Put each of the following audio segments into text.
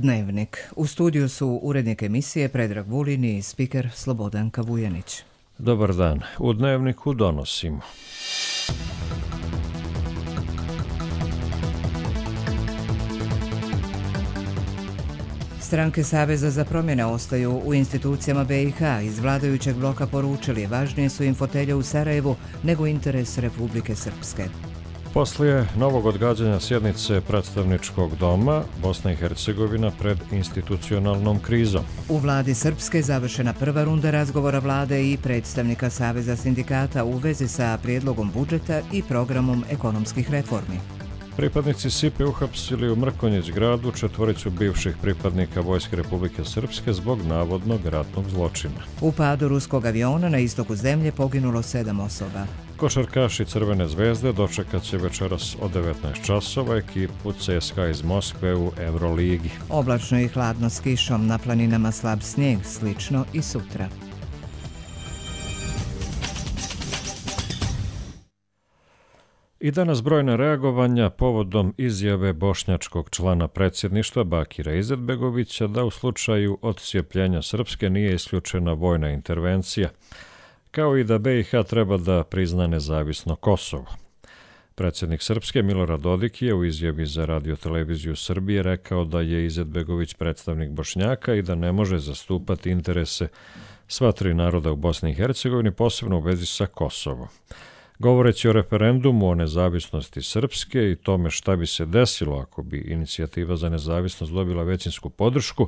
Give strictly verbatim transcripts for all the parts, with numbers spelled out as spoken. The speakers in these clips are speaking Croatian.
Dnevnik. U studiju su urednik emisije Predrag Vulin i spiker Slobodanka Vujanić. Dobar dan. U Dnevniku donosimo. Stranke Saveza za promjene ostaju u institucijama B i H. Iz vladajućeg bloka poručili važnije su im fotelje u Sarajevu nego interes Republike Srpske. Poslije novog odgađanja sjednice predstavničkog doma, Bosna i Hercegovina pred institucionalnom krizom. U vladi Srpske završena prva runda razgovora vlade i predstavnika Saveza sindikata u vezi sa prijedlogom budžeta i programom ekonomskih reformi. Pripadnici S I P-a uhapsili u Mrkonjić gradu četvoricu bivših pripadnika Vojske Republike Srpske zbog navodnog ratnog zločina. U padu ruskog aviona na istoku zemlje poginulo sedam osoba. Košarkaši Crvene zvezde dočekat će večeras od devetnaest časova ekipu C S K A iz Moskve u Euroligi. Oblačno i hladno s kišom, na planinama slab snijeg, slično i sutra. I danas brojna reagovanja povodom izjave bošnjačkog člana predsjedništva Bakira Izetbegovića da u slučaju odcijepljenja Srpske nije isključena vojna intervencija, kao i da B i H treba da prizna nezavisno Kosovo. Predsjednik Srpske Milorad Dodik je u izjavi za radioteleviziju Srbije rekao da je Izetbegović predstavnik Bošnjaka i da ne može zastupati interese sva tri naroda u Bosni i Hercegovini, posebno u vezi sa Kosovom. Govoreći o referendumu o nezavisnosti Srpske i tome šta bi se desilo ako bi inicijativa za nezavisnost dobila većinsku podršku,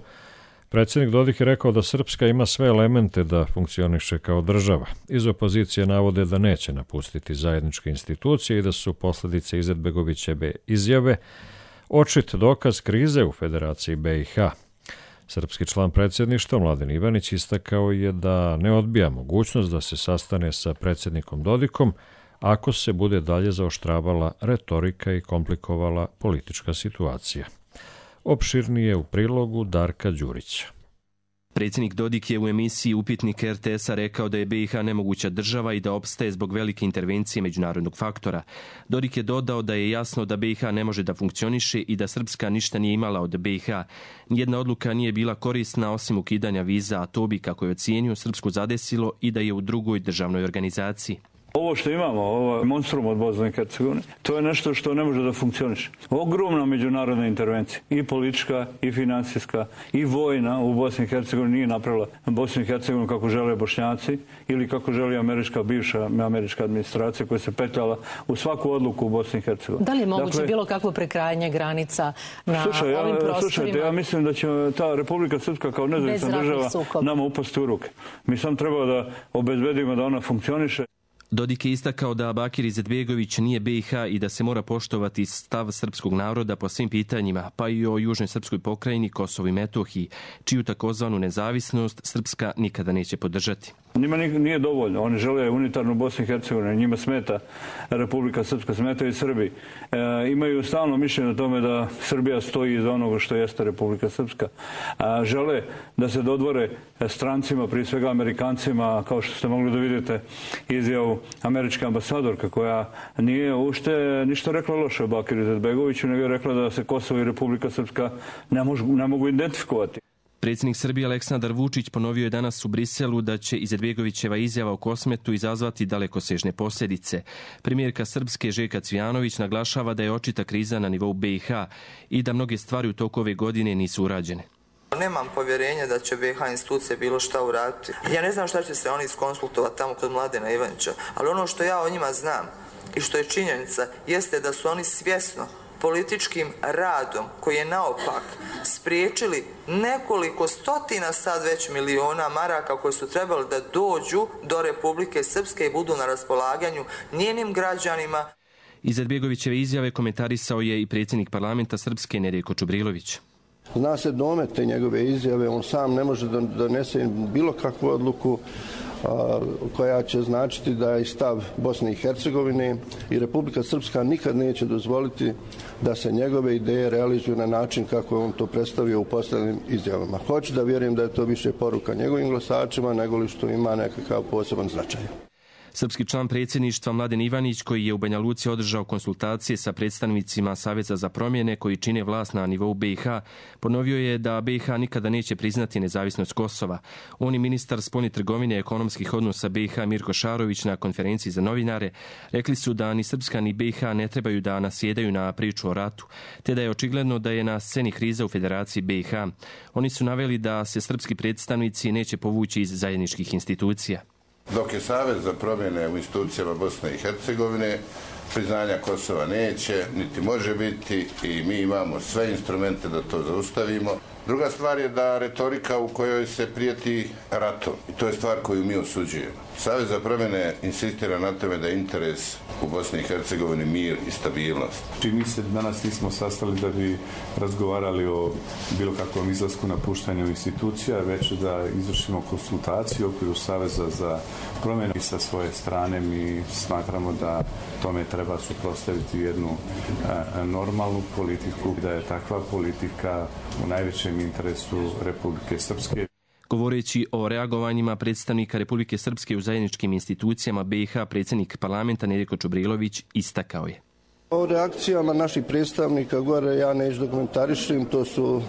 predsjednik Dodik je rekao da Srpska ima sve elemente da funkcioniše kao država. Iz opozicije navode da neće napustiti zajedničke institucije i da su posljedice Izetbegovićeve izjave očit dokaz krize u Federaciji B i H. Srpski član predsjedništva Mladen Ivanić istakao je da ne odbija mogućnost da se sastane sa predsjednikom Dodikom ako se bude dalje zaoštravala retorika i komplikovala politička situacija. Opširnije u prilogu Darka Đurića. Predsjednik Dodik je u emisiji Upitnik R T S-a rekao da je B i H nemoguća država i da opstaje zbog velike intervencije međunarodnog faktora. Dodik je dodao da je jasno da B i H ne može da funkcioniše i da Srpska ništa nije imala od B i H. Nijedna odluka nije bila korisna osim ukidanja viza, a to bi, kako je ocijenio, Srpsku zadesilo i da je u drugoj državnoj organizaciji. Ovo što imamo, ovo monstrum od Bosne i Hercegovine, to je nešto što ne može da funkcioniše. Ogromna međunarodna intervencija, i politička, i financijska, i vojna u Bosni i Hercegovini nije napravila Bosnu i Hercegovinu kako žele Bošnjaci ili kako želi američka, bivša američka administracija koja se petljala u svaku odluku u Bosni i Hercegovini. Da li je moguće dakle, bilo kakvo prekrajanje granica na slušaj, ovim ja, prostorima? Slušajte, ja mislim da će ta Republika Srpska kao nezavisna država sukob. nama upasti u ruke. Mi sam treba da obezbedimo da ona funkcioniše. Dodik je istakao da Bakir Izetbegović nije B i H i da se mora poštovati stav srpskog naroda po svim pitanjima, pa i o južnoj srpskoj pokrajini, Kosovu i Metohiji, čiju takozvanu nezavisnost Srpska nikada neće podržati. Njima nije dovoljno. Oni žele unitarnu Bosnu i Hercegovinu. Njima smeta Republika Srpska, smeta i Srbiji. E, imaju stalno mišljenje o tome da Srbija stoji iza onoga što jeste Republika Srpska. A, žele da se dodvore strancima, prije svega Amerikancima, kao što ste mogli da vidite izjavu američka ambasadorka koja nije ušte ništa rekla loše o Bakiru Izetbegoviću, nego je rekla da se Kosovo i Republika Srpska ne, mož, ne mogu identifikovati. Predsjednik Srbije Aleksandar Vučić ponovio je danas u Briselu da će Izetbegovićeva izjava o Kosmetu izazvati dalekosežne posljedice. Premijerka Srpske Željka Cvijanović naglašava da je očita kriza na nivou B i H i da mnoge stvari u toku ove godine nisu urađene. Nemam povjerenja da će B i H institucije bilo šta uraditi. Ja ne znam šta će se oni iskonsultovati tamo kod Mladena Ivanića, ali ono što ja o njima znam i što je činjenica jeste da su oni svjesno političkim radom koji je naopak spriječili nekoliko stotina sad već miliona maraka koje su trebali da dođu do Republike Srpske i budu na raspolaganju njenim građanima. Izetbegovićeve izjave komentarisao je i predsjednik parlamenta Srpske Nedjeljko Čubrilović. Zna se domet te njegove izjave, on sam ne može da donese bilo kakvu odluku a, koja će značiti da je stav Bosne i Hercegovine i Republika Srpska nikad neće dozvoliti da se njegove ideje realizuju na način kako je on to predstavio u posljednjim izjavama. Hoću da vjerujem da je to više poruka njegovim glasačima nego li što ima nekakav poseban značaj. Srpski član predsjedništva Mladen Ivanić, koji je u Banja Luci održao konsultacije sa predstavnicima Saveza za promjene koji čine vlast na nivou B i H, ponovio je da B i H nikada neće priznati nezavisnost Kosova. On i ministar spoljne trgovine i ekonomskih odnosa B i H Mirko Šarović na konferenciji za novinare rekli su da ni Srpska ni B i H ne trebaju da nasjedaju na priču o ratu, te da je očigledno da je na sceni kriza u Federaciji B i H. Oni su naveli da se srpski predstavnici neće povući iz zajedničkih institucija. Dok je Savez za promjene u institucijama Bosne i Hercegovine, priznanja Kosova neće, niti može biti i mi imamo sve instrumente da to zaustavimo. Druga stvar je da retorika u kojoj se prijeti ratom, i to je stvar koju mi osuđujemo. Savez za promjene insistira na tome da je interes u Bosni i Hercegovini mir i stabilnost. Mi se danas nismo sastali da bi razgovarali o bilo kakvom izlasku napuštanju institucija, već da izvršimo konsultaciju u okviru Saveza za promjene i sa svoje strane mi smatramo da tome treba suprotstaviti jednu a, normalnu politiku, da je takva politika u najvećem interesu Republike Srpske. Govoreći o reagovanjima predstavnika Republike Srpske u zajedničkim institucijama B i H, predsjednik parlamenta Nedjeljko Čubrilović istakao je: O reakcijama naših predstavnika gore ja neću dokumentarišim, to su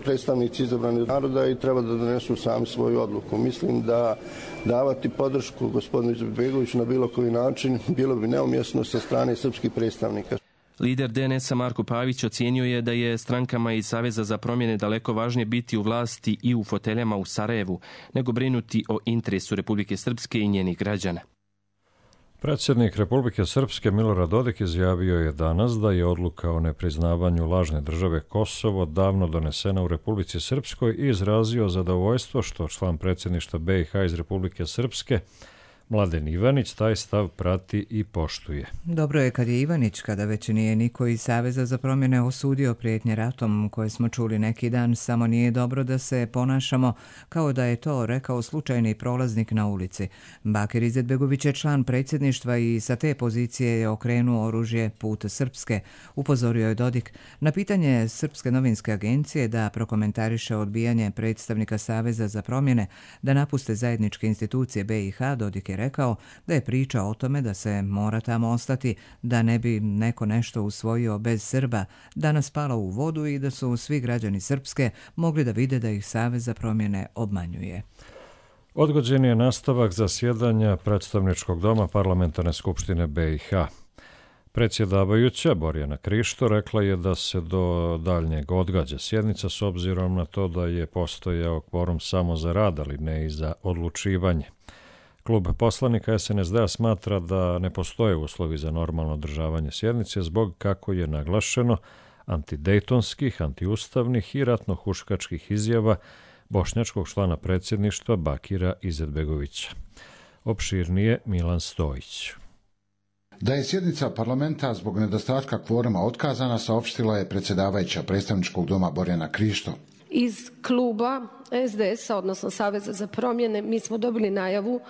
predstavnici izabranih naroda i treba da donesu sami svoju odluku. Mislim da davati podršku gospodinu Izetbegoviću na bilo koji način bilo bi neumjesno sa strane srpskih predstavnika. Lider D N S-a Marko Pavić ocijenio je da je strankama iz Saveza za promjene daleko važnije biti u vlasti i u foteljama u Sarajevu, nego brinuti o interesu Republike Srpske i njenih građana. Predsjednik Republike Srpske Milorad Dodik izjavio je danas da je odluka o nepriznavanju lažne države Kosovo davno donesena u Republici Srpskoj i izrazio zadovoljstvo što član predsjedništva B i H iz Republike Srpske Mladen Ivanić taj stav prati i poštuje. Dobro je kad je Ivanić, kada već nije niko iz Saveza za promjene osudio prijetnje ratom koje smo čuli neki dan, samo nije dobro da se ponašamo kao da je to rekao slučajni prolaznik na ulici. Bakir Izetbegović je član predsjedništva i sa te pozicije je okrenuo oružje put Srpske, upozorio je Dodik. Na pitanje Srpske novinske agencije da prokomentariše odbijanje predstavnika Saveza za promjene da napuste zajedničke institucije B i H, Dodik je rekao da je priča o tome da se mora tamo ostati, da ne bi neko nešto usvojio bez Srba, danas palo u vodu i da su svi građani Srpske mogli da vide da ih Savez za promjene obmanjuje. Odgođen je nastavak zasjedanja predstavničkog doma Parlamentarne skupštine B i H. Predsjedavajuća Borjana Krišto rekla je da se do daljnjeg odgađa sjednica s obzirom na to da je postojao kvorum samo za rad, ali ne i za odlučivanje. Klub poslanika S N S D-a smatra da ne postoje uslovi za normalno održavanje sjednice zbog, kako je naglašeno, antidejtonskih, antiustavnih i ratno-huškačkih izjava bošnjačkog člana predsjedništva Bakira Izetbegovića. Opširnije Milan Stojić. Da je sjednica parlamenta zbog nedostatka kvoruma otkazana, saopštila je predsjedavajuća predstavničkog doma Borjana Krišto. Iz kluba S D S-a, odnosno Saveza za promjene, mi smo dobili najavu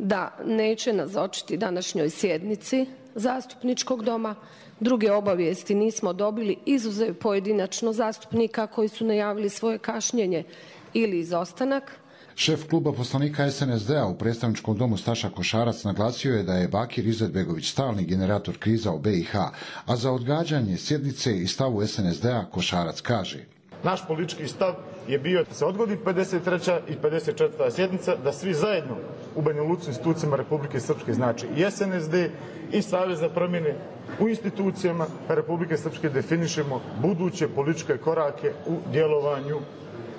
da neće nazočiti današnjoj sjednici zastupničkog doma. Druge obavijesti nismo dobili, izuzev pojedinačno zastupnika koji su najavili svoje kašnjenje ili izostanak. Šef kluba poslanika S N S D-a u predstavničkom domu Staša Košarac naglasio je da je Bakir Izetbegović stalni generator kriza u B i H, a za odgađanje sjednice i stavu S N S D-a Košarac kaže: Naš politički stav je bio da se odgodi pedeset treća i pedeset četvrta sjednica, da svi zajedno u Banja Luci institucijama Republike Srpske, znači i S N S D i Savez za promjene, u institucijama Republike Srpske definišemo buduće političke korake u djelovanju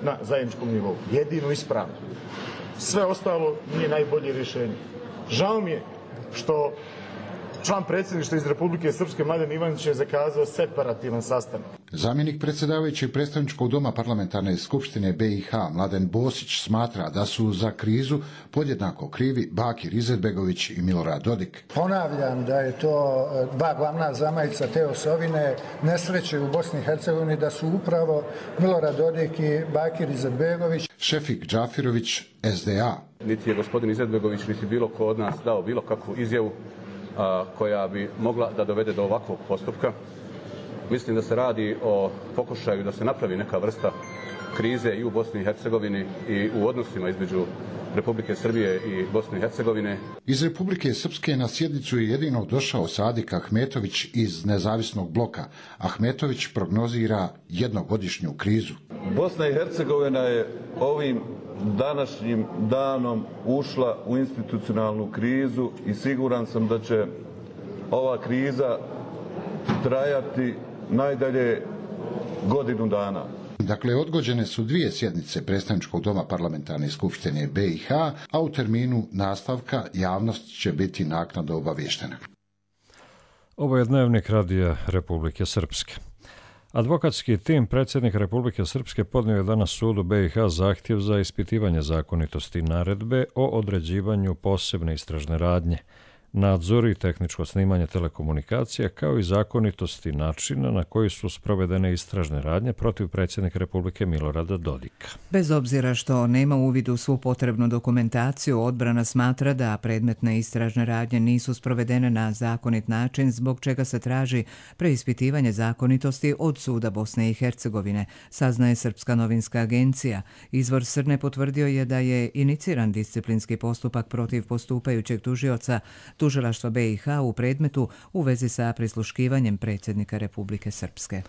na zajedničkom nivou. Jedino ispravno. Sve ostalo nije najbolje rješenje. Žao mi je što član predsjedništva iz Republike Srpske Mladen Ivanić je zakazao separativan sastanak. Zamjenik predsjedavajućeg predstavničkog doma Parlamentarne skupštine B i H Mladen Bosić smatra da su za krizu podjednako krivi Bakir Izetbegović i Milorad Dodik. Ponavljam da je to dva glavna zamajca te osovine nesreće u Bosni i Hercegovini, da su upravo Milorad Dodik i Bakir Izetbegović. Šefik Džafirović, S D A. Niti je gospodin Izetbegović, niti bilo ko od nas dao bilo kakvu izjavu a, koja bi mogla da dovede do ovakvog postupka. Mislim da se radi o pokušaju da se napravi neka vrsta krize i u Bosni i Hercegovini i u odnosima između Republike Srbije i Bosne i Hercegovine. Iz Republike Srpske na sjednicu je jedino došao Sadik Ahmetović iz nezavisnog bloka. Ahmetović prognozira jednogodišnju krizu. Bosna i Hercegovina je ovim današnjim danom ušla u institucionalnu krizu i siguran sam da će ova kriza trajati najdalje godinu dana. Dakle, odgođene su dvije sjednice Predstavničkog doma Parlamentarne skupštine B i H, a u terminu nastavka javnost će biti naknadno obavještena. Ovo je dnevnik Radija Republike Srpske. Advokatski tim predsjednika Republike Srpske podnio je danas sudu B i H zahtjev za ispitivanje zakonitosti naredbe o određivanju posebne istražne radnje, nadzor i tehničko snimanje telekomunikacija, kao i zakonitosti načina na koji su sprovedene istražne radnje protiv predsjednika Republike Milorada Dodika. Bez obzira što nema uvid u svu potrebnu dokumentaciju, odbrana smatra da predmetne istražne radnje nisu sprovedene na zakonit način, zbog čega se traži preispitivanje zakonitosti od suda Bosne i Hercegovine, saznaje Srpska novinska agencija. Izvor Srne potvrdio je da je iniciran disciplinski postupak protiv postupajućeg tužioca Tužilaštva B i H u predmetu u vezi sa prisluškivanjem predsjednika Republike Srpske.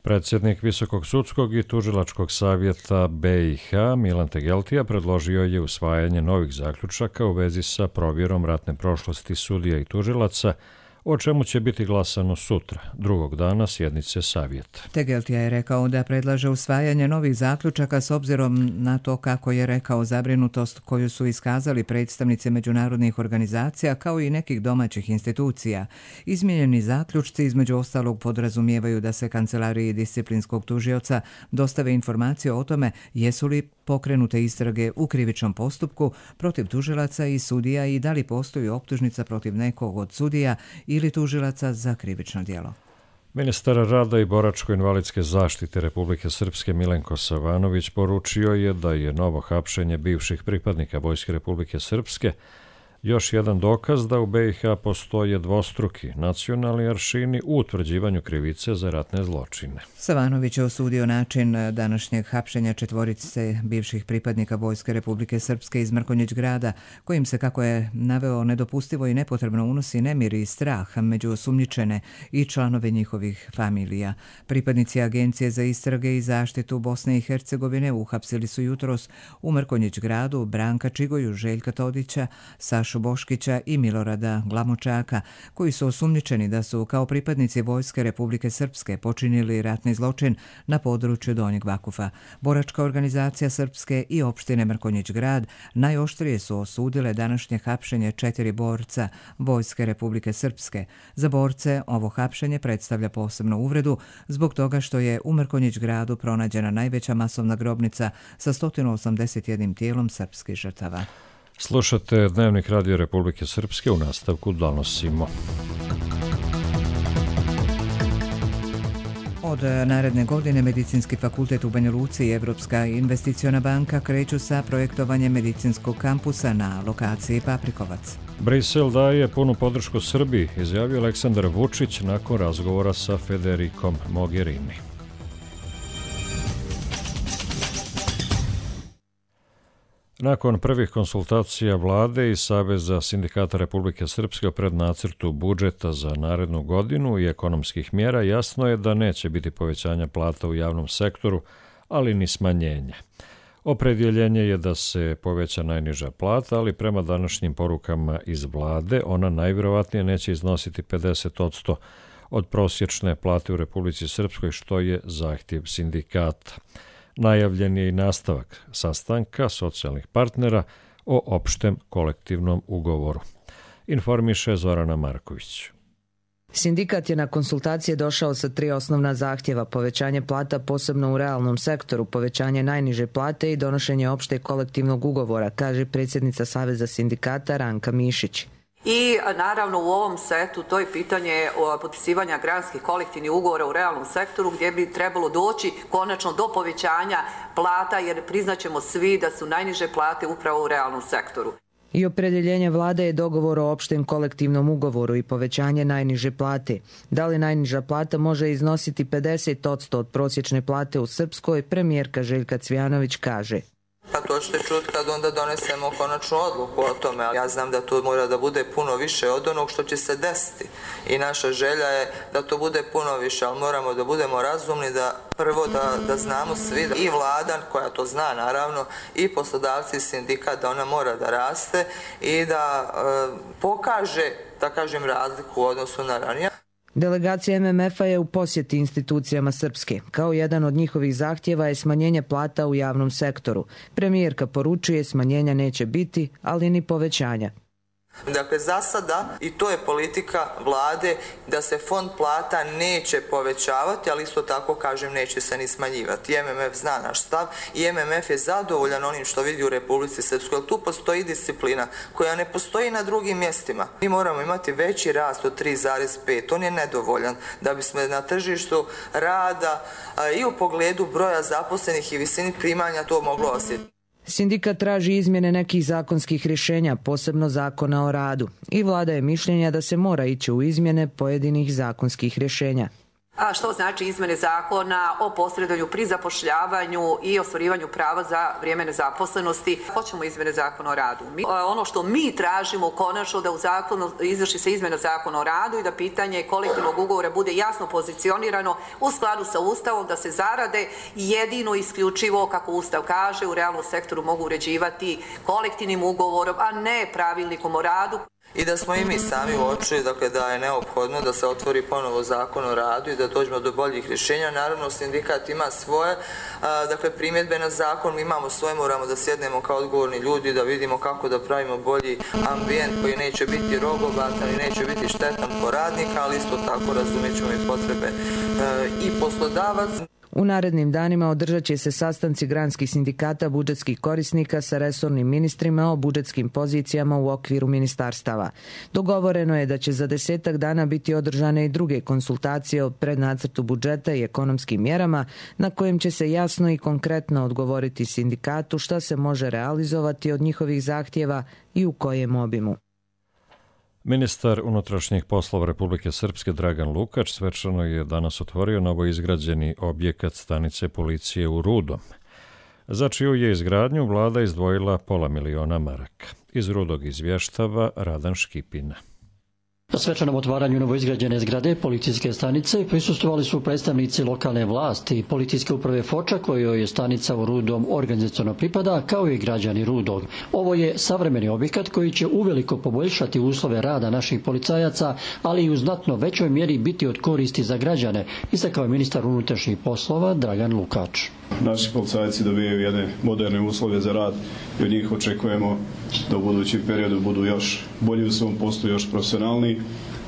Predsjednik Visokog sudskog i tužilačkog savjeta B i H Milan Tegeltija predložio je usvajanje novih zaključaka u vezi sa provjerom ratne prošlosti sudija i tužilaca, o čemu će biti glasano sutra, drugog dana sjednice savjeta. Tegeltija je rekao da predlaže usvajanje novih zaključaka s obzirom na to, kako je rekao, zabrinutost koju su iskazali predstavnici međunarodnih organizacija kao i nekih domaćih institucija. Izmijenjeni zaključci između ostalog podrazumijevaju da se kancelariji disciplinskog tužioca dostave informacije o tome jesu li pokrenute istrage u krivičnom postupku protiv tužilaca i sudija i da li postoji optužnica protiv nekog od sudija ili tužilaca za krivično djelo. Ministar rada i boračko-invalidske zaštite Republike Srpske Milenko Savanović poručio je da je novo hapšenje bivših pripadnika Vojske Republike Srpske još jedan dokaz da u B i H postoje dvostruki nacionalni aršini u utvrđivanju krivice za ratne zločine. Savanović je osudio način današnjeg hapšenja četvorice bivših pripadnika Vojske Republike Srpske iz Mrkonjić grada, kojim se, kako je naveo, nedopustivo i nepotrebno unosi nemir i strah među osumnjičene i članove njihovih familija. Pripadnici Agencije za istrage i zaštitu Bosne i Hercegovine uhapsili su jutros u Mrkonjić gradu Branka Čigoju, Željka Todića, Sašu Boškića i Milorada Glamočaka, koji su osumnjičeni da su kao pripadnici Vojske Republike Srpske počinili ratni zločin na području Donjeg Vakufa. Boračka organizacija Srpske i opštine Mrkonjić grad najoštrije su osudile današnje hapšenje četiri borca Vojske Republike Srpske. Za borce ovo hapšenje predstavlja posebnu uvredu zbog toga što je u Mrkonjić gradu pronađena najveća masovna grobnica sa sto osamdeset jedan tijelom srpskih žrtava. Slušate dnevnik Radija Republike Srpske, u nastavku donosimo. Od naredne godine Medicinski fakultet u Banja Luci i Evropska investiciona banka kreću sa projektovanjem medicinskog kampusa na lokaciji Paprikovac. Brisel daje punu podršku Srbiji, izjavio Aleksandar Vučić nakon razgovora sa Federikom Mogherini. Nakon prvih konsultacija vlade i Saveza sindikata Republike Srpske o prednacrtu budžeta za narednu godinu i ekonomskih mjera, jasno je da neće biti povećanja plata u javnom sektoru, ali ni smanjenja. Opredjeljenje je da se poveća najniža plata, ali prema današnjim porukama iz vlade ona najvjerovatnije neće iznositi pedeset posto od prosječne plate u Republici Srpskoj, što je zahtjev sindikata. Najavljen je i nastavak sastanka socijalnih partnera o opštem kolektivnom ugovoru. Informiše Zorana Marković. Sindikat je na konsultacije došao sa tri osnovna zahtjeva: povećanje plata posebno u realnom sektoru, povećanje najniže plate i donošenje opšteg kolektivnog ugovora, kaže predsjednica Saveza sindikata Ranka Mišić. I naravno u ovom setu to je pitanje potpisivanja granskih kolektivnih ugovora u realnom sektoru, gdje bi trebalo doći konačno do povećanja plata, jer priznaćemo svi da su najniže plate upravo u realnom sektoru. I opredjeljenje vlade je dogovor o opštem kolektivnom ugovoru i povećanje najniže plate. Da li najniža plata može iznositi pedeset posto od prosječne plate u Srpskoj, premijerka Željka Cvijanović kaže. Pa to ćete čuti kad onda donesemo konačnu odluku o tome. Ja znam da to mora da bude puno više od onog što će se desiti i naša želja je da to bude puno više, ali moramo da budemo razumni, da prvo da, da znamo svi, da i vlada koja to zna naravno, i poslodavci i sindikat, da ona mora da raste i da e, pokaže, da kažem, razliku u odnosu na ranije. Delegacija M M F-a je u posjeti institucijama Srpske. Kao jedan od njihovih zahtjeva je smanjenje plata u javnom sektoru. Premijerka poručuje smanjenja neće biti, ali ni povećanja. Dakle, za sada, i to je politika vlade, da se fond plata neće povećavati, ali isto tako, kažem, neće se ni smanjivati. M M F zna naš stav i M M F je zadovoljan onim što vidi u Republici Srpskoj, jer tu postoji disciplina koja ne postoji na drugim mjestima. Mi moramo imati veći rast od tri zarez pet, on je nedovoljan da bismo na tržištu rada i u pogledu broja zaposlenih i visini primanja to moglo osjetiti. Sindikat traži izmjene nekih zakonskih rješenja, posebno zakona o radu. I vlada je mišljenja da se mora ići u izmjene pojedinih zakonskih rješenja. A što znači izmjene zakona o posredovanju pri zapošljavanju i ostvarivanju prava za vrijeme nezaposlenosti. Hoćemo izmjene zakona o radu. Mi, ono što mi tražimo konačno da u zakonu izvrši se izmjena zakona o radu i da pitanje kolektivnog ugovora bude jasno pozicionirano u skladu sa Ustavom, da se zarade jedino isključivo, kako Ustav kaže, u realnom sektoru mogu uređivati kolektivnim ugovorom, a ne pravilnikom o radu. I da smo i mi sami uočili, dakle, da je neophodno da se otvori ponovo zakon o radu i da dođemo do boljih rješenja. Naravno, sindikat ima svoje, a, dakle, primjedbe na zakon, mi imamo svoje, moramo da sjednemo kao odgovorni ljudi, da vidimo kako da pravimo bolji ambijent koji neće biti rogobatan i neće biti štetan po radnika, ali isto tako razumjet ćemo i potrebe e, i poslodavaca. U narednim danima održat će se sastanci granskih sindikata budžetskih korisnika sa resornim ministrima o budžetskim pozicijama u okviru ministarstava. Dogovoreno je da će za desetak dana biti održane i druge konsultacije o prednacrtu budžeta i ekonomskim mjerama na kojem će se jasno i konkretno odgovoriti sindikatu šta se može realizovati od njihovih zahtjeva i u kojem obimu. Ministar unutrašnjih poslova Republike Srpske Dragan Lukač svečano je danas otvorio novoizgrađeni objekat stanice policije u Rudom, za čiju je izgradnju vlada izdvojila pola miliona maraka. Iz Rudog izvještava Radan Škipina. Na svečanom otvaranju novoizgrađene zgrade policijske stanice prisustvovali su predstavnici lokalne vlasti i policijske uprave Foča, kojoj je stanica u Rudom organizaciono pripada, kao i građani Rudog. Ovo je savremeni objekat koji će uveliko poboljšati uslove rada naših policajaca, ali i u znatno većoj mjeri biti od koristi za građane, istakao je ministar unutrašnjih poslova Dragan Lukač. Naši policajci dobijaju jedne moderne uslove za rad i od njih očekujemo da u budućem periodu budu još bolji u svom poslu, još profesionalni,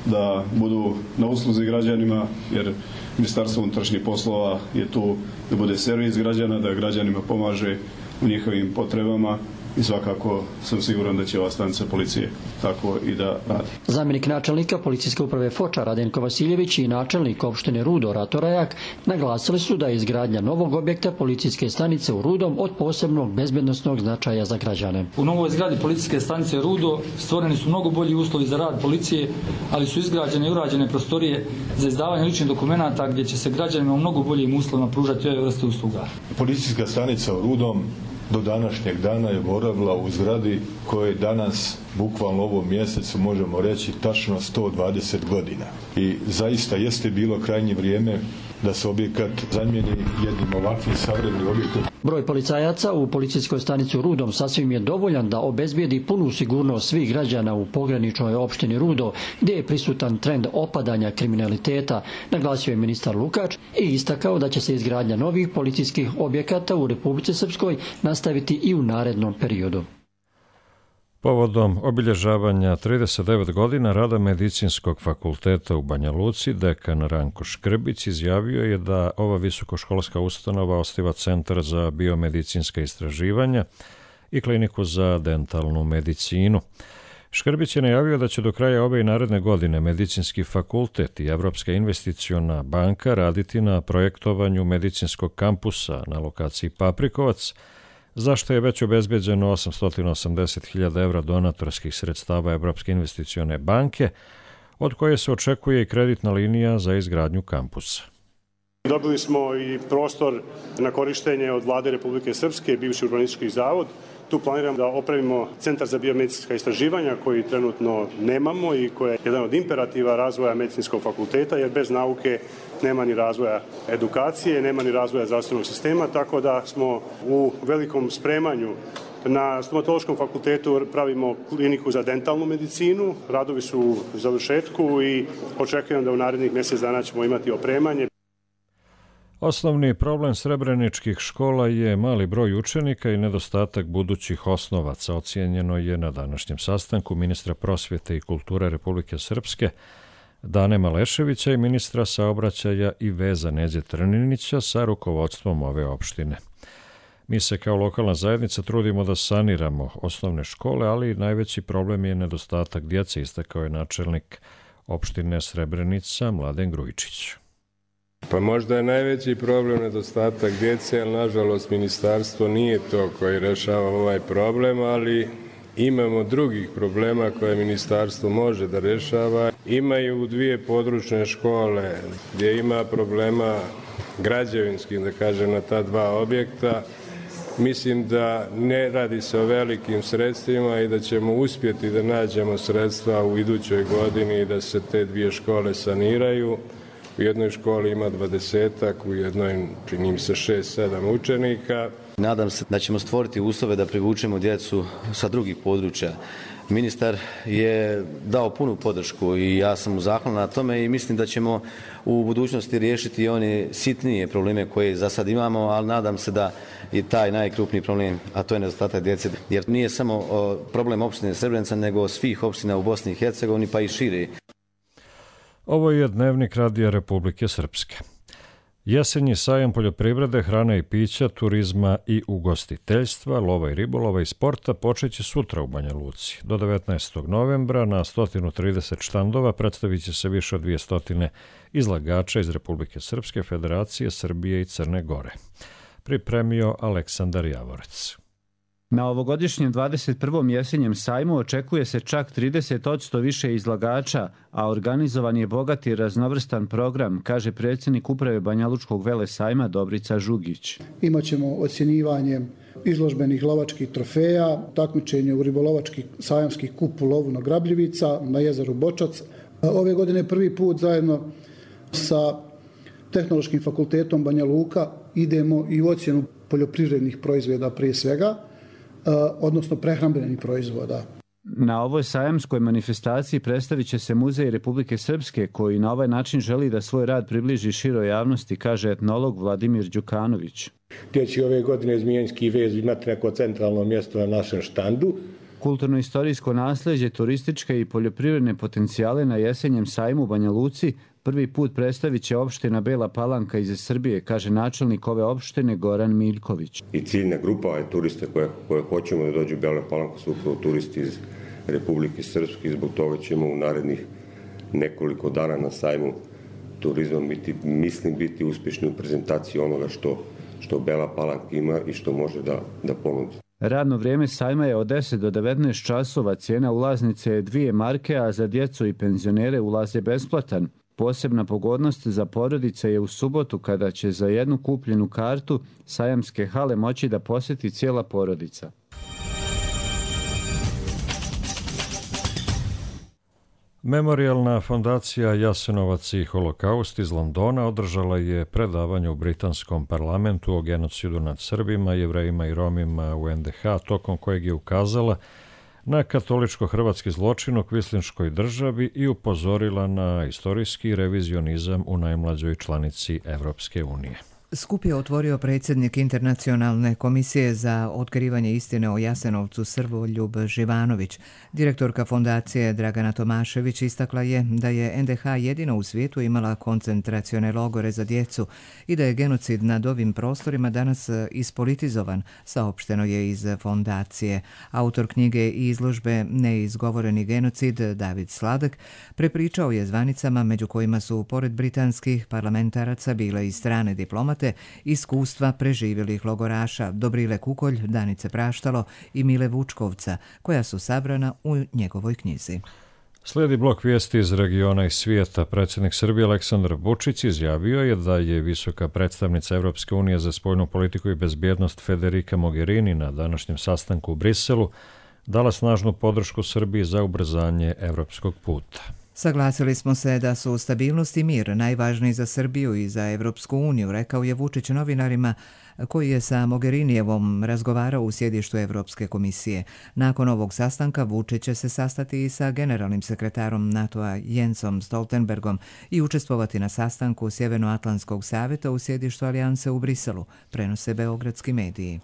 da budu na usluzi građanima, jer Ministarstvo unutrašnjih poslova je tu da bude servis građana, da građanima pomaže u njihovim potrebama i svakako sam siguran da će ova stanica policije tako i da radi. Zamjenik načelnika policijske uprave Foča Radenko Vasiljević i načelnik opštine Rudo Rato Rajak naglasili su da je izgradnja novog objekta policijske stanice u Rudom od posebnog bezbednosnog značaja za građane. U novoj zgradi policijske stanice Rudo stvoreni su mnogo bolji uslovi za rad policije, ali su izgrađene i urađene prostorije za izdavanje ličnih dokumenata gdje će se građanima u mnogo boljim uslovima pružati ove vrste usluga. Policijska stanica u Rudom do današnjeg dana je boravila u zgradi koje danas, bukvalno ovom mjesecu, možemo reći tačno sto dvadeset godina. I zaista jeste bilo krajnje vrijeme da se objekat zamijeni jednim ovakvim savremenim objektom. Broj policajaca u policijskoj stanici u Rudom sasvim je dovoljan da obezbijedi punu sigurnost svih građana u pograničnoj opštini Rudo, gdje je prisutan trend opadanja kriminaliteta, naglasio je ministar Lukač i istakao da će se izgradnja novih policijskih objekata u Republici Srpskoj nastaviti i u narednom periodu. Povodom obilježavanja trideset devet godina rada Medicinskog fakulteta u Banja Luci, dekan Ranko Škrbić izjavio je da ova visokoškolska ustanova osniva Centar za biomedicinska istraživanja i kliniku za dentalnu medicinu. Škrbić je najavio da će do kraja ove i naredne godine Medicinski fakultet i Evropska investiciona banka raditi na projektovanju medicinskog kampusa na lokaciji Paprikovac, zašto je već obezbeđeno osamsto osamdeset hiljada evra donatorskih sredstava Evropske investicione banke, od koje se očekuje i kreditna linija za izgradnju kampusa. Dobili smo i prostor na korištenje od Vlade Republike Srpske, bivši urbanistički zavod. Tu planiramo da opravimo Centar za biomedicinska istraživanja koji trenutno nemamo i koji je jedan od imperativa razvoja medicinskog fakulteta, jer bez nauke nema ni razvoja edukacije, nema ni razvoja zdravstvenog sistema, tako da smo u velikom spremanju. Na stomatološkom fakultetu pravimo kliniku za dentalnu medicinu, radovi su u završetku i očekujem da u narednih mjesec dana ćemo imati opremanje. Osnovni problem srebreničkih škola je mali broj učenika i nedostatak budućih osnovaca, ocijenjeno je na današnjem sastanku ministra prosvjete i kulture Republike Srpske Dane Maleševića i ministra saobraćaja i veza Neđe Trninića sa rukovodstvom ove opštine. Mi se kao lokalna zajednica trudimo da saniramo osnovne škole, ali najveći problem je nedostatak djece, istakao je načelnik opštine Srebrenica Mladen Grujičić. Pa možda je najveći problem nedostatak djece, ali nažalost ministarstvo nije to koji rešava ovaj problem, ali imamo drugih problema koje ministarstvo može da rešava. Imaju dvije područne škole gdje ima problema građevinskih, da kažem, na ta dva objekta. Mislim da ne radi se o velikim sredstvima i da ćemo uspjeti da nađemo sredstva u idućoj godini i da se te dvije škole saniraju. U jednoj školi ima dvadesetak, u jednoj čini mi se šest sedam učenika. Nadam se da ćemo stvoriti uslove da privučemo djecu sa drugih područja. Ministar je dao punu podršku i ja sam mu zahvalan na tome i mislim da ćemo u budućnosti riješiti one sitnije probleme koje za sad imamo, ali nadam se da je taj najkrupniji problem, a to je nedostatak djece, jer nije samo problem opštine Srebrenica, nego svih opština u Bosni i Hercegovini, pa i šire. Ovo je Dnevnik Radija Republike Srpske. Jesenji sajam poljoprivrede, hrane i pića, turizma i ugostiteljstva, lova i ribolova i sporta počeće sutra u Banja Luci. Do devetnaestog novembra na sto trideset štandova predstavit će se više od dvjesto izlagača iz Republike Srpske, Federacije, Srbije i Crne Gore. Pripremio Aleksandar Javorec. Na ovogodišnjem dvadeset prvom jesenjem sajmu očekuje se čak trideset posto više izlagača, a organizovan je bogat i raznovrstan program, kaže predsjednik uprave Banjalučkog velesajma Dobrica Žugić. Imaćemo ocjenjivanje izložbenih lovačkih trofeja, takmičenje u ribolovački sajamski kup u lovu na Grabljivica, na jezeru Bočac. Ove godine prvi put zajedno sa Tehnološkim fakultetom Banja Luka idemo i u ocjenu poljoprivrednih proizvoda prije svega, odnosno prehrambenih proizvoda. Na ovoj sajamskoj manifestaciji predstavit će se Muzej Republike Srpske, koji na ovaj način želi da svoj rad približi široj javnosti, kaže etnolog Vladimir Đukanović. Gdje će ove godine Zmijenski vez imati neko centralno mjesto na našem štandu. Kulturno-istorijsko nasljeđe, turističke i poljoprivredne potencijale na jesenjem sajmu u Banja Luci prvi put predstavit će opština Bela Palanka iz Srbije, kaže načelnik ove opštine Goran Miljković. I ciljna grupa je turiste koje, koje hoćemo da dođu u Bela Palanku su upravo turisti iz Republike Srpske i zbog toga ćemo u narednih nekoliko dana na sajmu turizma biti, mislim biti uspješni u prezentaciji onoga što, što Bela Palanka ima i što može da, da ponudi. Radno vrijeme sajma je od deset do devetnaest časova, cijena ulaznice je dvije marke, a za djecu i penzionere ulaz je besplatan. Posebna pogodnost za porodice je u subotu kada će za jednu kupljenu kartu sajamske hale moći da posjeti cijela porodica. Memorijalna fondacija Jasenovac i holokaust iz Londona održala je predavanje u britanskom parlamentu o genocidu nad Srbima, Jevrejima i Romima u en de ha, tokom kojeg je ukazala na katoličko-hrvatski zločin u kvislinškoj državi i upozorila na istorijski revizionizam u najmlađoj članici Evropske unije. Skup je otvorio predsjednik Internacionalne komisije za otkrivanje istine o Jasenovcu Srboljub Živanović. Direktorka fondacije Dragana Tomašević istakla je da je en de ha jedina u svijetu imala koncentracione logore za djecu i da je genocid nad ovim prostorima danas ispolitizovan, saopšteno je iz fondacije. Autor knjige i izložbe Neizgovoreni genocid David Sladak prepričao je zvanicama, među kojima su pored britanskih parlamentaraca bile i strane diplomate, iskustva preživjelih logoraša Dobrile Kukolj, Danice Praštalo i Mile Vučkovca, koja su sabrana u njegovoj knjizi. Slijedi blok vijesti iz regiona i svijeta. Predsjednik Srbije Aleksandar Vučić izjavio je da je visoka predstavnica Evropske unije za spoljnu politiku i bezbjednost Federica Mogherini na današnjem sastanku u Briselu dala snažnu podršku Srbiji za ubrzanje evropskog puta. Saglasili smo se da su stabilnost i mir najvažniji za Srbiju i za Evropsku uniju, rekao je Vučić novinarima koji je sa Mogherinijevom razgovarao u sjedištu Evropske komisije. Nakon ovog sastanka Vučić će se sastati i sa generalnim sekretarom NATO-a Jensom Stoltenbergom i učestvovati na sastanku Sjevernoatlantskog savjeta u sjedištu Alijanse u Briselu, prenose beogradski mediji.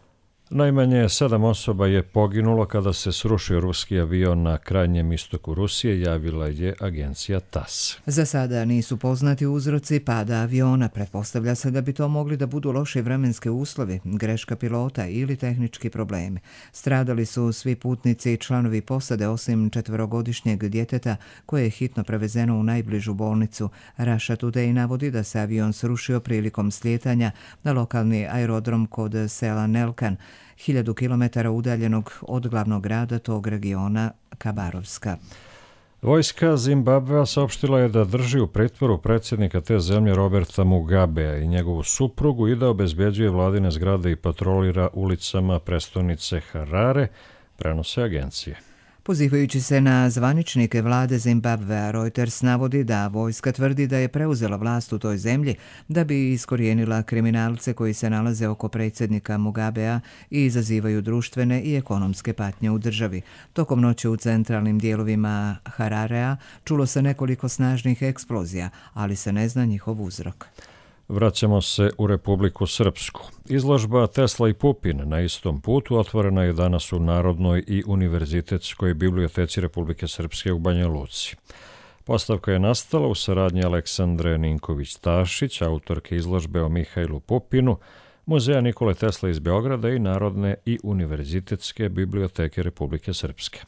Najmanje sedam osoba je poginulo kada se srušio ruski avion na krajnjem istoku Rusije, javila je agencija TASS. Za sada nisu poznati uzroci pada aviona. Pretpostavlja se da bi to mogli da budu loši vremenski uslovi, greška pilota ili tehnički problemi. Stradali su svi putnici i članovi posade osim četverogodišnjeg djeteta koje je hitno prevezeno u najbližu bolnicu. Russia Today navodi da se avion srušio prilikom slijetanja na lokalni aerodrom kod sela Nelkan, hiljadu kilometara udaljenog od glavnog grada tog regiona, Kabarovska. Vojska Zimbabvea saopštila je da drži u pritvoru predsjednika te zemlje Roberta Mugabea i njegovu suprugu i da obezbeđuje vladine zgrade i patrolira ulicama prestonice Harare, prenose agencije. Pozivajući se na zvaničnike vlade Zimbabvea, Reuters navodi da vojska tvrdi da je preuzela vlast u toj zemlji da bi iskorijenila kriminalce koji se nalaze oko predsjednika Mugabea i izazivaju društvene i ekonomske patnje u državi. Tokom noći u centralnim dijelovima Hararea čulo se nekoliko snažnih eksplozija, ali se ne zna njihov uzrok. Vraćamo se u Republiku Srpsku. Izložba Tesla i Pupin na istom putu otvorena je danas u Narodnoj i univerzitetskoj biblioteci Republike Srpske u Banja Luci. Postavka je nastala u saradnji Aleksandre Ninković-Tašić, autorke izložbe o Mihajlu Pupinu, Muzeja Nikole Tesle iz Beograda i Narodne i univerzitetske biblioteke Republike Srpske.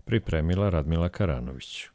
Pripremila Radmila Karanović.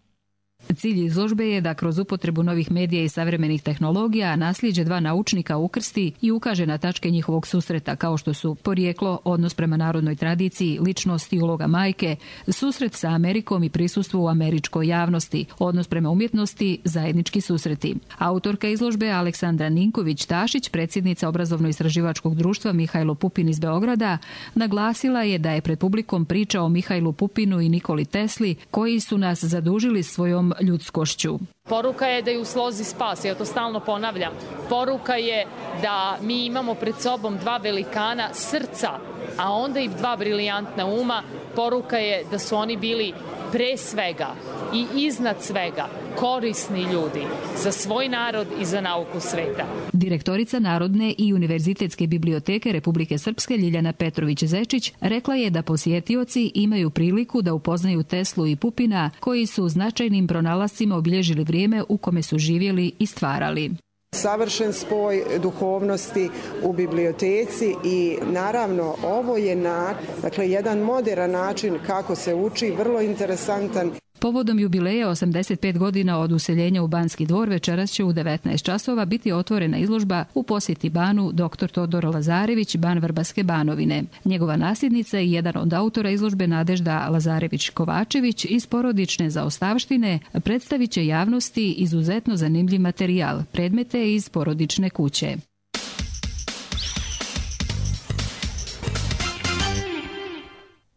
Cilj izložbe je da kroz upotrebu novih medija i savremenih tehnologija nasljeđe dva naučnika ukrsti i ukaže na tačke njihovog susreta, kao što su porijeklo, odnos prema narodnoj tradiciji, ličnost i uloga majke, susret sa Amerikom i prisustvo u američkoj javnosti, odnos prema umjetnosti, zajednički susreti. Autorka izložbe Aleksandra Ninković-Tašić, predsjednica obrazovno-istraživačkog društva Mihajlo Pupin iz Beograda, naglasila je da je pred publikom priča o Mihajlu Pupinu i Nikoli Tesli, koji su nas zadužili svojom ljudskošću. Poruka je da je u slozi spas, ja to stalno ponavljam. Poruka je da mi imamo pred sobom dva velikana srca, a onda i dva brilijantna uma. Poruka je da su oni bili pre svega i iznad svega korisni ljudi za svoj narod i za nauku sveta. Direktorica Narodne i univerzitetske biblioteke Republike Srpske Ljiljana Petrović-Zečić rekla je da posjetioci imaju priliku da upoznaju Teslu i Pupina, koji su značajnim pronalascima obilježili vrijeme u kome su živjeli i stvarali. Savršen spoj duhovnosti u biblioteci i naravno ovo je na, dakle, jedan moderan način kako se uči, vrlo interesantan. Povodom jubileja osamdeset pet godina od useljenja u Banski dvor večeras će u devetnaest časova biti otvorena izložba u posjeti Banu doktor Todor Lazarević, Ban Vrbaske Banovine. Njegova nasljednica i jedan od autora izložbe Nadežda Lazarević-Kovačević iz porodične zaostavštine predstavit će javnosti izuzetno zanimljiv materijal, predmete iz porodične kuće.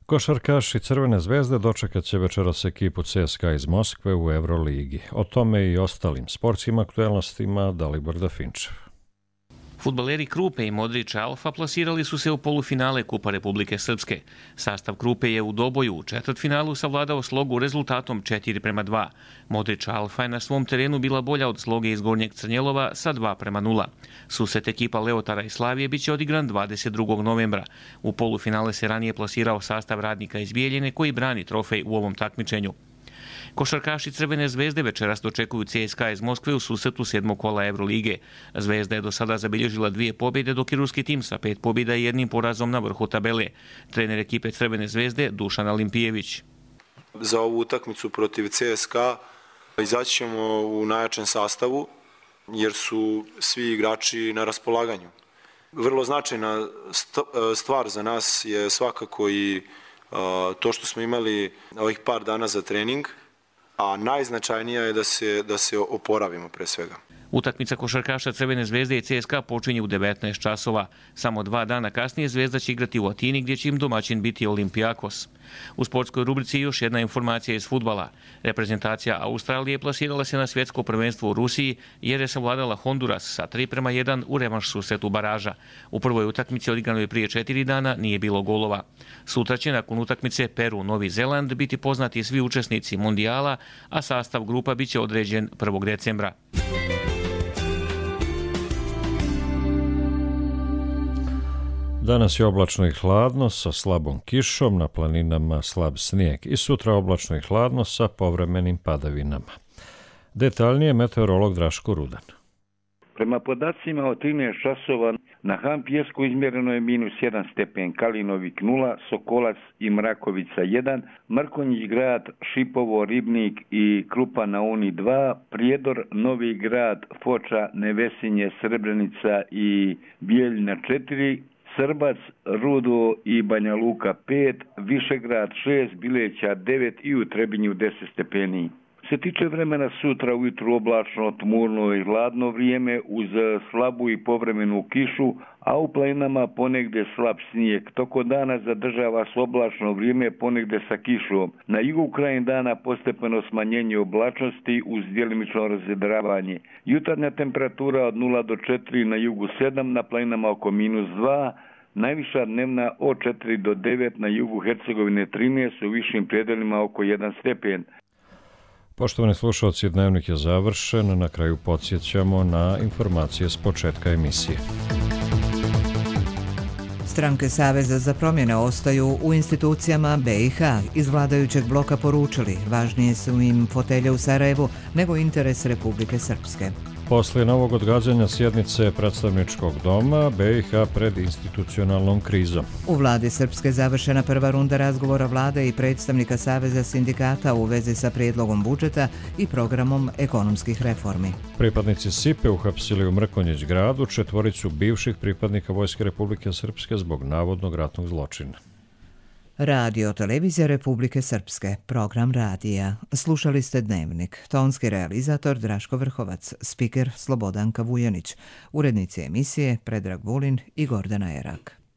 Košarkaši Crvene zvezde dočekat će večeras ekipu C S K A iz Moskve u Euroligi. O tome i ostalim sportskim aktuelnostima Dalibor Dafinčev. Fudbaleri Krupe i Modrić Alfa plasirali su se u polufinale Kupa Republike Srpske. Sastav Krupe je u doboju u četvrtfinalu savladao Slogu rezultatom četiri prema dva. Modrić Alfa je na svom terenu bila bolja od Sloge iz Gornjeg Crnjelova sa dva prema nula. Susret ekipa Leotara i Slavije biće odigran dvadeset drugog novembra. U polufinale se ranije plasirao sastav Radnika iz Bijeljine koji brani trofej u ovom takmičenju. Košarkaši Crvene zvezde večeras dočekuju C S K A iz Moskve u susretu sedmog kola Eurolige. Zvezda je do sada zabilježila dvije pobjede, dok je ruski tim sa pet pobjeda i jednim porazom na vrhu tabele. Trener ekipe Crvene zvezde Dušan Alimpijević. Za ovu utakmicu protiv C S K A izaći ćemo u najjačem sastavu jer su svi igrači na raspolaganju. Vrlo značajna stvar za nas je svakako i to što smo imali ovih par dana za trening. a najznačajnija je da se, da se oporavimo pre svega. Utakmica košarkaša Crvene zvezde i C S K A počinje u devetnaest časova. Samo dva dana kasnije Zvezda će igrati u Atini gdje će im domaćin biti Olimpijakos. U sportskoj rubrici još jedna informacija iz fudbala. Reprezentacija Australije plasirala se na svjetsko prvenstvo u Rusiji jer je savladala Honduras sa tri prema jedan u revanš susretu baraža. U prvoj utakmici odigranoj prije četiri dana nije bilo golova. Sutra će nakon utakmice Peru-Novi Zeland biti poznati svi učesnici mundijala, a sastav grupa biće određen prvog decembra. Danas je oblačno i hladno sa slabom kišom, na planinama slab snijeg i sutra oblačno i hladno sa povremenim padavinama. Detaljnije meteorolog Draško Rudan. Prema podacima od trinaest časova na Han Pijesku izmjereno je minus jedan stepen, Kalinovik nula, Sokolac i Mrakovica jedan, Mrkonjić grad, Šipovo, Ribnik i Krupa na Uni dva, Prijedor, Novi grad, Foča, Nevesinje, Srebrenica i Bijeljina četiri, Srbac, Rudo i Banja Luka pet, Višegrad šest, Bileća devet i u Trebinju deset stepeni. Se tiče vremena sutra ujutru oblačno, tmurno i hladno vrijeme uz slabu i povremenu kišu, a u planinama ponegdje slab snijeg. Toko dana zadržava se oblačno vrijeme ponegdje sa kišom. Na jugu krajem dana postepeno smanjenje oblačnosti uz djelimično razvedravanje. Jutarnja temperatura od nula do četiri, na jugu sedam, na planinama oko minus dva, najviša dnevna od četiri do devet, na jugu Hercegovine trinaest, u višim predelima oko jedan stepen. Poštovani slušalci, dnevnik je završen. Na kraju podsjećamo na informacije s početka emisije. Stranke Saveza za promjene ostaju u institucijama B i H. Iz vladajućeg bloka poručili, važnije su im fotelje u Sarajevu nego interes Republike Srpske. Poslije novog odgađanja sjednice predstavničkog doma, B i H pred institucionalnom krizom. U vladi Srpske završena prva runda razgovora vlade i predstavnika Saveza sindikata u vezi sa prijedlogom budžeta i programom ekonomskih reformi. Pripadnici S I P E uhapsili u Mrkonjić gradu četvoricu bivših pripadnika Vojske Republike Srpske zbog navodnog ratnog zločina. Radio Televizija Republike Srpske, program radija. Slušali ste Dnevnik. Tonski realizator Draško Vrhovac, spiker Slobodanka Vujanić, urednici emisije Predrag Vulin i Gordana Erak.